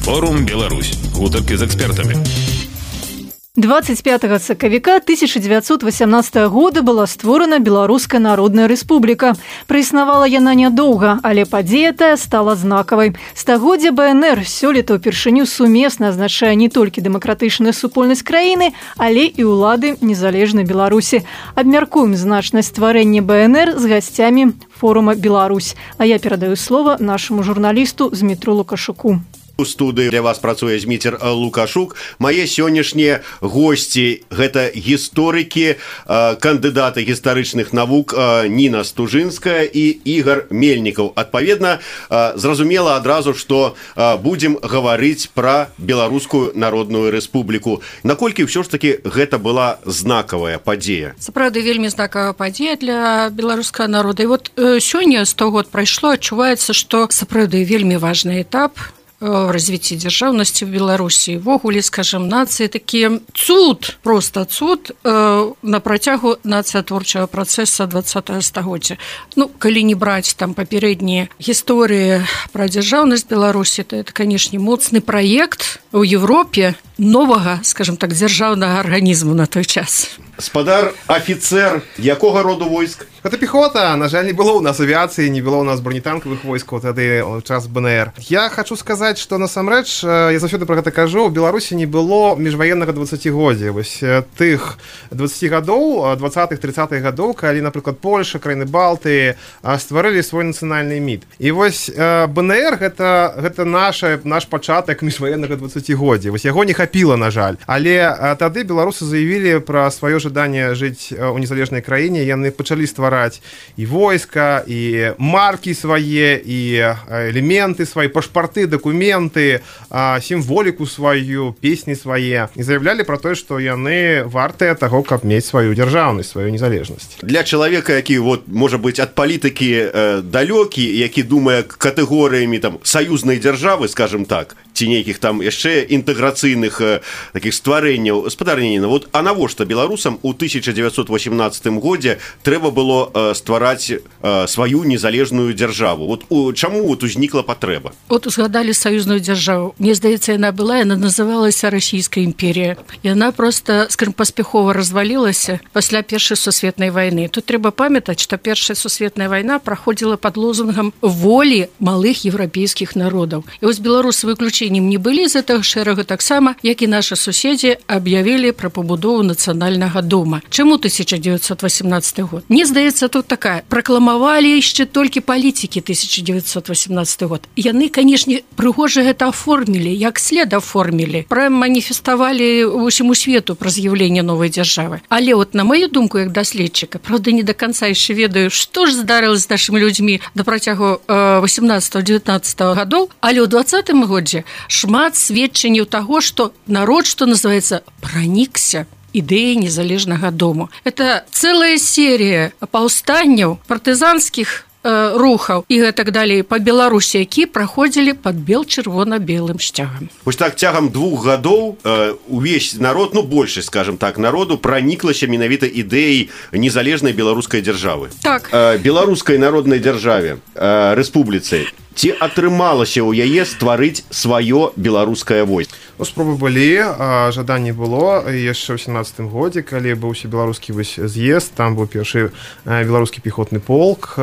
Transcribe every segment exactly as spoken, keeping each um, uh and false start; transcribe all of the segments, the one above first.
Форум Беларусь. Гутаркі з экспертамі. двадцать пятого сакавіка тысяча девятьсот восемнадцатого года была створана Беларуская Народная Рэспубліка. Праіснавала яна нядоўга, але падзея тая стала знакавай. Стагоддзе БНР сёлета ўпершыню сумесна азначае не толькі дэмакратычную супольнасць краіны, але і ўлады незалежнай Беларусі. Абмяркуем значнасць стварэння БНР з гасцямі форума «Беларусь». А я перадаю слова нашаму журналісту Змітру Лукашуку. У студыі для вас працуе Зміцер Лукашук. Мае сённяшнія госці – гэта гісторыкі, кандыдаты гістарычных навук Ніна Стужынская і Ігор Мельнікаў. Адпаведна, зразумела адразу, што будзем гаварыць пра Беларускую Народную Рэспубліку. Наколькі ўсё ж такі гэта была знакавая падзея? Сапраўды, вельмі знакавая падзея для беларускага народа. І вот сёння сто год прайшло, адчуваецца, што сапраўды вельмі важны этап в развитии державности в Беларуси, в огуле, скажем, нации, такие цуд, просто цуд э, на протягу нациотворчего процесса двадцатого стагоддзя. Ну, калі не брать там попередние истории про державность Беларуси, то это, конечно, моцный проект у Европе нового, скажем так, державного организма на той час. Спадар, офицер, якога роду войск? Это пехота. На жаль, не было у нас авиации, не было у нас бронетанковых войск вот тады час БНР. Я хочу сказать, что насамрэч, я заўсёды про гэта кажу, у Беларусі не было міжваеннага дваццацігоддзя. Вось тых двадцати гадоў, двадцатых тридцатых гадоў, калі, напрыклад, Польша, краіны Балтыі стварылі свой нацыянальны міт. І вось БНР гэта, гэта наша, наш пачатак міжваеннага дваццацігоддзя. Вось яго не хапіла, на жаль. Але тады беларусы заявілі пра сваё жаданне жыць у незалежнай краіне, яны пачалі ствараць і войска, і маркі свае, і элементы свае, пашпарты, дакументы, сімволіку сваю, песні свае. І заявлялі пра тое, што яны вартыя таго, каб мець сваю дзяржаўнасць, сваю незалежнасць. Для чалавека, які, вот, можа быць, ад палітыкі э, далёкі, які думае катэгорыямі там саюзнай дзяржавы, скажем так, ці нейкіх там яшчэ інтэграцыйных э, такіх стварэнняў, спадар Ніна, вот, а навошта беларусам у тысяча девятьсот восемнадцатым годзе трэба было э, ствараць э, сваю незалежную дзяржаву? Вот у, чаму вот узнікла патрэба? Вот узгадалі саюзную дзяржаву. Мне здаецца, яна была, яна называлася Расійская імперія. Яна просто, скажем, паспяхова развалілася пасля Першай сусветнай вайны. Тут трэба памятаць, што Першая сусветная вайна праходзіла пад лозунгам волі малых еўрапейскіх народаў. І вось беларусы выключэннем не былі з гэтага шэрага, таксама, як і нашы суседзі аб'явілі пра пабудову нацыянальнага дома. Чаму тысяча девятьсот восемнадцатый год? Мне здаецца, тут такая. Пракламавалі яшчэ толькі палітыкі тысяча девятьсот восемнадцатый год. Яны, канешне, прыгожа гэта аформілі, як след аформілі. Прям маніфеставалі усяму свету пра з'яўленне новай дзяржавы. Але вот на маю думку, як даследчыка, правда, не до конца яшчэ ведаю, што ж здарылася з нашымі людзьмі да працягу восемнадцатого девятнадцатого гадоў, але ў двадцатым годзе шмат сведчанняў таго, што народ, што называецца, пранікся ідэі незалежнага дому. Это целая серия паўстанняў, партызанскіх э, рухаў і гэтак далей па Беларусі, які праходзілі пад бел-чырвона-белым сцягам. Вось так цягам двух гадоў э, увесь народ, ну большасць, скажем так, народу праніклася менавіта ідэяй незалежнай беларускай дзяржавы. Так. Э, беларускай народнай дзяржаве, э, рэспубліцы. Ці атрымалася ў яе стварыць сваё беларускае войска? Ну, спробы былі, жаданне было яшчэ ў семнадцатым годзе, калі быў беларускі з'езд, там быў першы беларускі пехотны полк.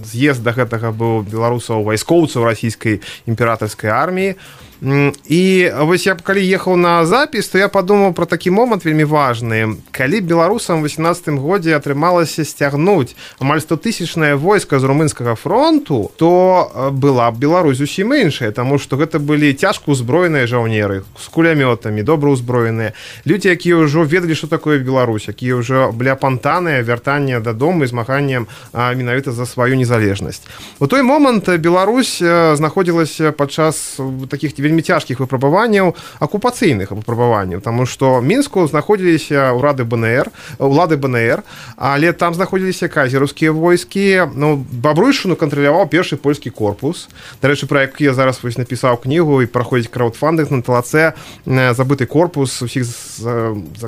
З'езд да гэтага быў беларусаў вайскоўцаў расійскай імператарскай арміі. І вось я калі ехаў на запіс, то я падумаў пра такі момант вельмі важны. Калі беларусам у восемнадцатым годзе атрымалася сцягнуць амаль стотысячнае войска з румынскага фронту, то была б Беларусь зусім іншая, таму што гэта былі цяжка ўзброеныя жаўнеры з кулямётамі, добра ўзброеныя людзі, якія ўжо ведалі, што такое Беларусь, якія ўжо былі апантаныя вяртанне дадому і змаганнем менавіта за сваю незалежнасць. У той момант Беларусь знаходзілася падчас такіх вельмі цяжкіх выпрабаванняў, акупацыйных выпрабаванняў, таму што Мінску знаходзіліся ўрады БНР, улады БНР, але там знаходзіліся казераўскія войскі. Ну, Бабруйшчыну кантраляваў першы польскі корпус. Дарэчы, пра які я зараз вось напісаў кнігу і праходзіць краўдфандынг на ТЛЦ «Забыты корпус». Усіх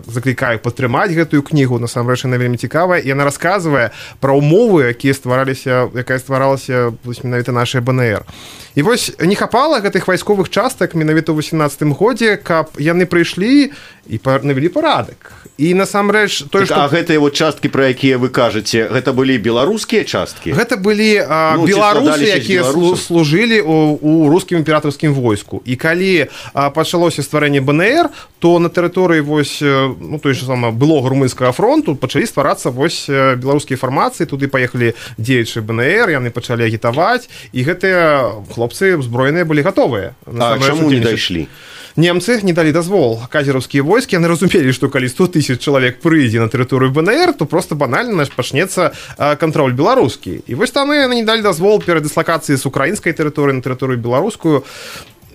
заклікаю падтрымаць гэтую кнігу, насамрэч яна вельмі цікавая, і яна расказвае пра ўмовы, якія ствараліся, якая стваралася менавіта нашая БНР. І вось не хапала гэтых вайсковых часаў частак менавіта ў восемнадцатым годзе, каб яны прыйшлі і навялі парадак. І насамрэч той, так, што... А гэтыя вот часткі, пра якія вы кажаце, гэта былі беларускія часткі? Гэта былі а, ну, беларусы, якія служылі у, у рускім імператарскім войску. І калі а, пачалося стварэнне БНР, то на тэрыторыі вось, ну, той же сама былога румынскага фронту пачалі стварацца вось беларускія фармацыі, туды паехалі дзеячы БНР, яны пачалі агітаваць, і гэтыя хлопцы узброеныя былі гатовыя. А чаму не дайшлі? Немцы не далі дазвол. Казераўскія войскі, яны разумелі, што калі сто тысяч чалавек прыйдзе на тэрыторыю БНР, то просто банальна пачнецца кантроль беларускі. І вось там яны не далі дазвол перадыслакацыі з украінскай тэрыторыі на тэрыторыю беларускую.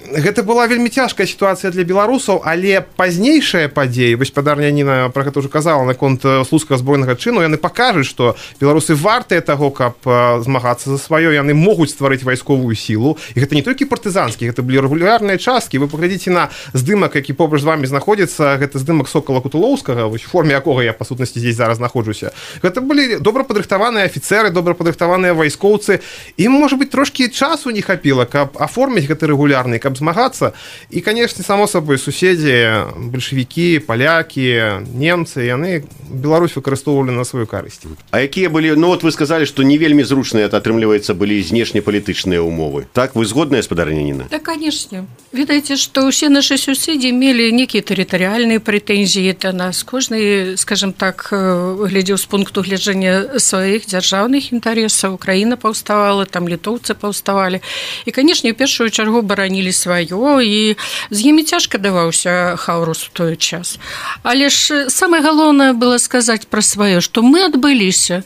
Гэта была вельмі цяжкая сітуацыя для беларусаў, але пазнейшая падзея, вось спадарня Ніна пра гэта ўжо казала наконт слуцкага збройнага чыну, яны пакажуць, што беларусы вартыя таго, каб змагацца за сваё, яны могуць стварыць вайсковую сілу, і гэта не толькі партызанскі, гэта былі рэгулярныя часткі. Вы паглядзіце на здымак, які побач з вамі знаходзіцца, гэта здымак Сокала Кутулоўскага, вось у форме якога я па сутнасці здесь зараз знаходжуся. Гэта былі добра падрыхтаваныя афіцэры, добра падрыхтаваныя вайскоўцы. Ім, можа быць, трошкі часу не хапіла, каб аформіць гэты рэгулярны, каб змагацца. І, канешне, само сабой, суседзі, бальшавікі, палякі, немцы, яны Беларусь выкарыстоўвалі на сваю карысць. А якія былі, ну вот вы сказалі, што не вельмі зручныя, атрымліваецца, былі знешнепалітычныя ўмовы. Так, вы згодныя, спадарня Ніна? Да, канешне. Ведаеце, што ўсе нашы суседзі мелі нейкія тэрытарыяльныя прэтэнзіі да нас. Кожны, скажем так, глядзеў з пункту гледжання сваіх дзяржаўных інтарэсаў. Украіна паўставала, там літоўцы паўставалі. І, канешне, у першую чаргу баранілі сваё, і з імі цяжка даваўся Хаўрус у той час. Але ж самае галоўнае было сказаць пра сваё, што мы адбыліся,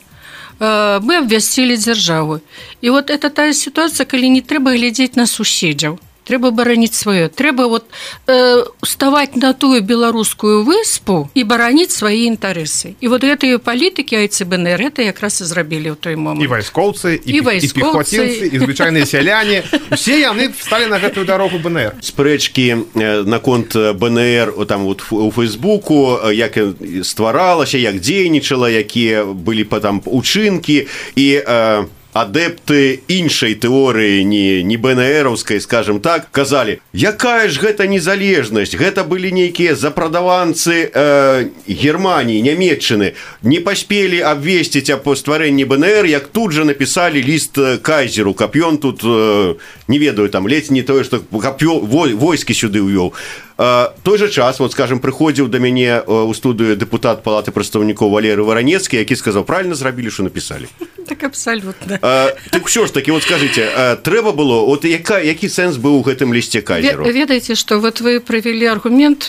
мы абвясцілі дзяржаву. І вот это тая сітуацыя, калі не трэба глядзець на суседзяў. Трэба бараніць сваё. Трэба вот, э, ставаць на тую беларускую выспу і бараніць свае інтарэсы. І вот гэтыя палітыкі АйЦБНР это якраз і зрабілі ў той момант. І вайскоўцы, і, і, і пехоцінцы, і звычайныя сяляне. Усе яны сталі на гэтую дарогу БНР. Спрэчкі наконт БНР там вот у Фейсбуку, як стваралася, як дзейнічала, якія былі там учынкі і... Э, адэпты іншай тэорыі, не, не БНРаўскай, скажем так, казалі, якая ж гэта незалежнасць, гэта былі нейкія запрадаванцы э, Германіі, Нямецчыны, не паспелі абвесціць аб стварэнні БНР, як тут жа напісалі ліст кайзеру, каб ён тут, э, не ведаю, там ледзь не тое, што каб войскі сюды ўвёў. Uh, той же час, вот, скажем, прыходзіў да мяне uh, у студыю дэпутат Палаты прадстаўнікоў Валерый Варанецкі, які сказаў, правильно зрабілі, што напісалі. Так абсалютна. Uh, так ўсё ж таки, вот скажите, uh, трэба было, вот яка, які сэнс быў у гэтым лісце кайзеру? Ведаеце, што вот вы прывялі аргумент,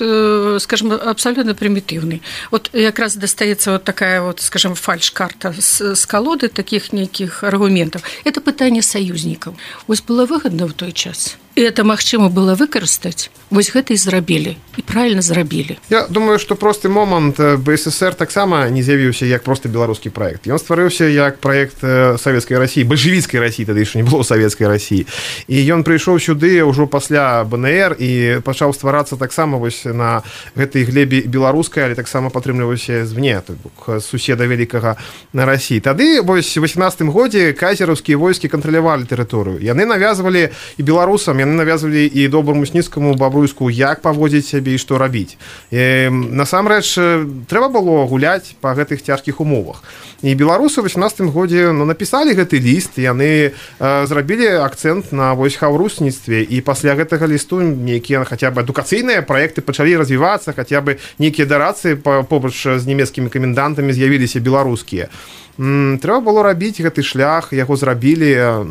скажем, абсалютна прымітыўны. Вот якраз дастаецца вот такая вот, скажем, фальш-карта з, з колоды таких нейкіх аргументаў. Это пытанне саюзнікаў. Вось было выгодна ў той час. І это магчыма было выкарыстаць. Вось гэта і зрабілі. І правільна зрабілі. Я думаю, што просты момант БССР таксама не з'явіўся як проста беларускі праект. Ён стварыўся як праект савецкай Расіі, бальшавіцкай Расіі, тады яшчэ не было савецкай Расіі. І ён прыйшоў сюды ўжо пасля БНР і пачаў стварацца таксама вось на гэтай глебе беларускай, але таксама падтрымліваўся звне, то бок суседа вялікага на Расіі. Тады вось у восемнадцатым годзе казераўскія войскі кантралявалі тэрыторыю. Яны навязвалі і беларусам, яны навязвалі і доброму Сніцкаму, Бабруйску, як паводзіць сябе і што рабіць. І, насамрэч, трэба было гуляць па гэтых цяжкіх умовах. І беларусы ў восемнадцатым годзе ну, напісалі гэты ліст, яны э, зрабілі акцэнт на вось хаўрусніцтве, і пасля гэтага лісту нейкія хаця б адукацыйныя праекты пачалі развівацца, хаця б нейкія дарацыі побач з нямецкімі камендантамі з'явіліся беларускія. М, трэба было рабіць гэты шлях, яго зрабілі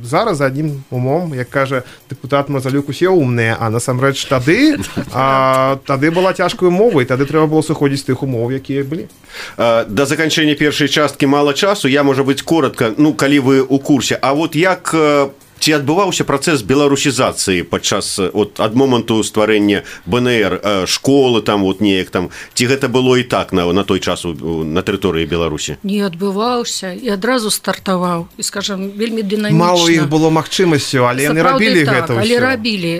зараз за аднім умом, як кажа дэпутат Мазалюк, усе умныя, а насамрэч тады а, тады была цяжкая умова, і тады трэба было сыходзіць з тых умоў, якія былі. Да заканчэння першай часткі мала часу, я, можа быць, коротка, ну, калі вы ў курсе, а вот як ці адбываўся працэс беларусізацыі падчас от ад моманту стварэння БНР, школы там вот неяк там, ці гэта было і так на, на той час на тэрыторыі Беларусі? Не адбываўся і адразу стартаваў, і, скажам, вельмі дынамічна. Мало іх было магчымасцю, але яны рабілі так, гэта ўсё. Але рабілі.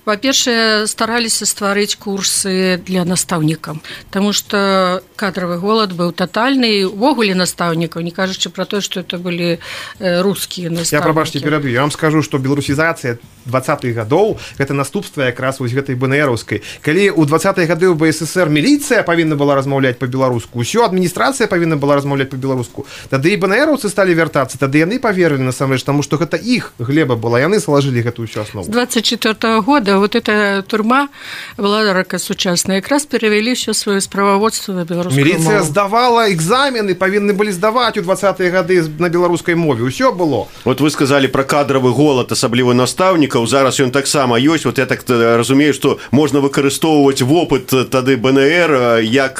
Па-першае, стараліся стварыць курсы для настаўнікаў, таму што кадравы голад быў татальны, увогуле настаўнікаў, не кажучы пра тое, што это былі рускія настаўнікі. Я, прабачце, пераб'ю. Я вам скажу, што беларусізацыя двадцатых гадоў гэта наступства якраз вось гэтай БНРаўскай. Калі ў двадцатыя гады ў БССР міліцыя павінна была размаўляць па-беларуску, усё адміністрацыя павінна была размаўляць па-беларуску, тады і БНРаўцы сталі вяртацца, тады яны паверылі насамрэч, таму што гэта іх глеба была, яны салажылі гэтую ўсю аснову. С двадцать четвёртого года вот эта турма Владарака сучасная якраз перавялі ўсё сваё справаводства на беларускую мову. Міліцыя здавала экзамены, павінны былі здаваць у двадцатыя гады на беларускай мове, усё было. Вот вы сказалі пра кадравы голад, асабліва настаўнікаў, зараз ён таксама ёсць. Вот я так разумею, што можна выкарыстоўваць вопыт тады БНР як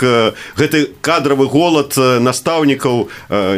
гэты кадравы голад настаўнікаў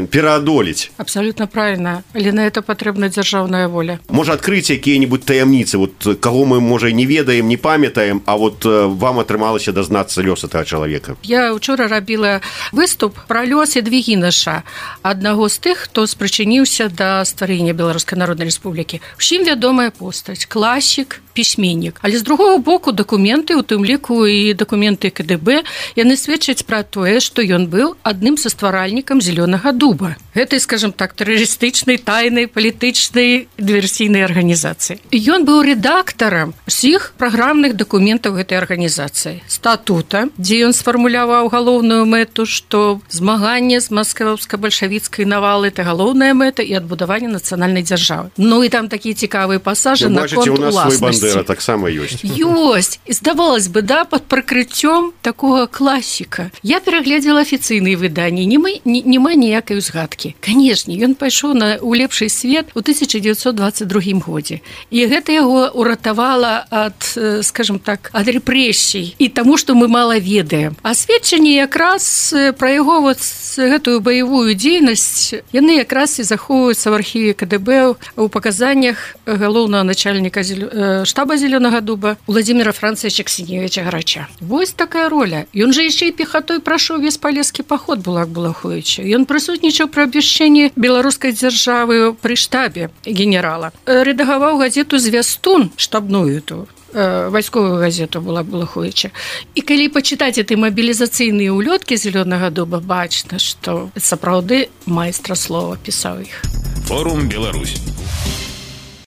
пераадолець. Абсолютно правильно, але на это патрэбна дзяржаўная воля. Можа адкрыць якія-нибудь таямніцы, вот каго мы можа не ведаем, не памятаем, а вот вам атрымалася дазнацца лёс этого чалавека. Я учора рабіла выступ пра лёс Ядвігінаша, аднаго з тых, хто спрычыніўся да стварэння Беларускай Народнай Рэспублікі. Усім вядомая постаць, класік, пісьменнік. Але з другого боку дакументы, у тым ліку і дакументы КДБ, яны сведчаць пра тое, што ён быў адным са стваральнікам Зелёнага дуба. Гэтай, скажем так, тэрарыстычнай, тайнай, палітычнай, дыверсійнай арганізацыі. Ён быў рэдактарам усіх праграмных дакументаў гэтай арганізацыі. Статута, дзе ён сфармуляваў галоўную мэту, што змаганне з маскоўска-бальшавіцкай навалы – это галоўная мэта і адбудаванне нацыянальнай дзяржавы. Ну і там такія цікавыя пасажы наконт уласнасці. Бандера таксама ёсць. Ёсць. І здавалось бы, да, пад прыкрыццём такога класіка. Я перагледзела афіцыйныя выданні, няма ніякай узгадкі. Канешне, ён пайшоў на у лепшы свет у тысяча дзевяцьсот двадцать другім годзе. І гэта яго уратавала ад, скажем так, ад рэпрэсій і таму, што мы мала ведаем. А сведчанні якраз пра яго вот гэтую баявую дзейнасць, яны якраз і захоўваюцца в архіве КДБ у паказаннях галоўнага начальніка штаба Зелёнага дуба Владимира Францевича Ксеневича Грача. Вось такая роля. Ён жа яшчэ і пехатой прайшоў весь палескі паход Булак-Булаховича. Ён прысутнічаў пры абвяшчэнні беларускай дзяржавы пры штабе генерала. Рэдагаваў газету «Звястун», штабную ту, вайсковую газету Булак-Булаховича. І калі пачытаць эти мабілізацыйныя улёткі Зелёнага дуба, бачна, што сапраўды майстра слова пісаў іх. Форум Беларусь.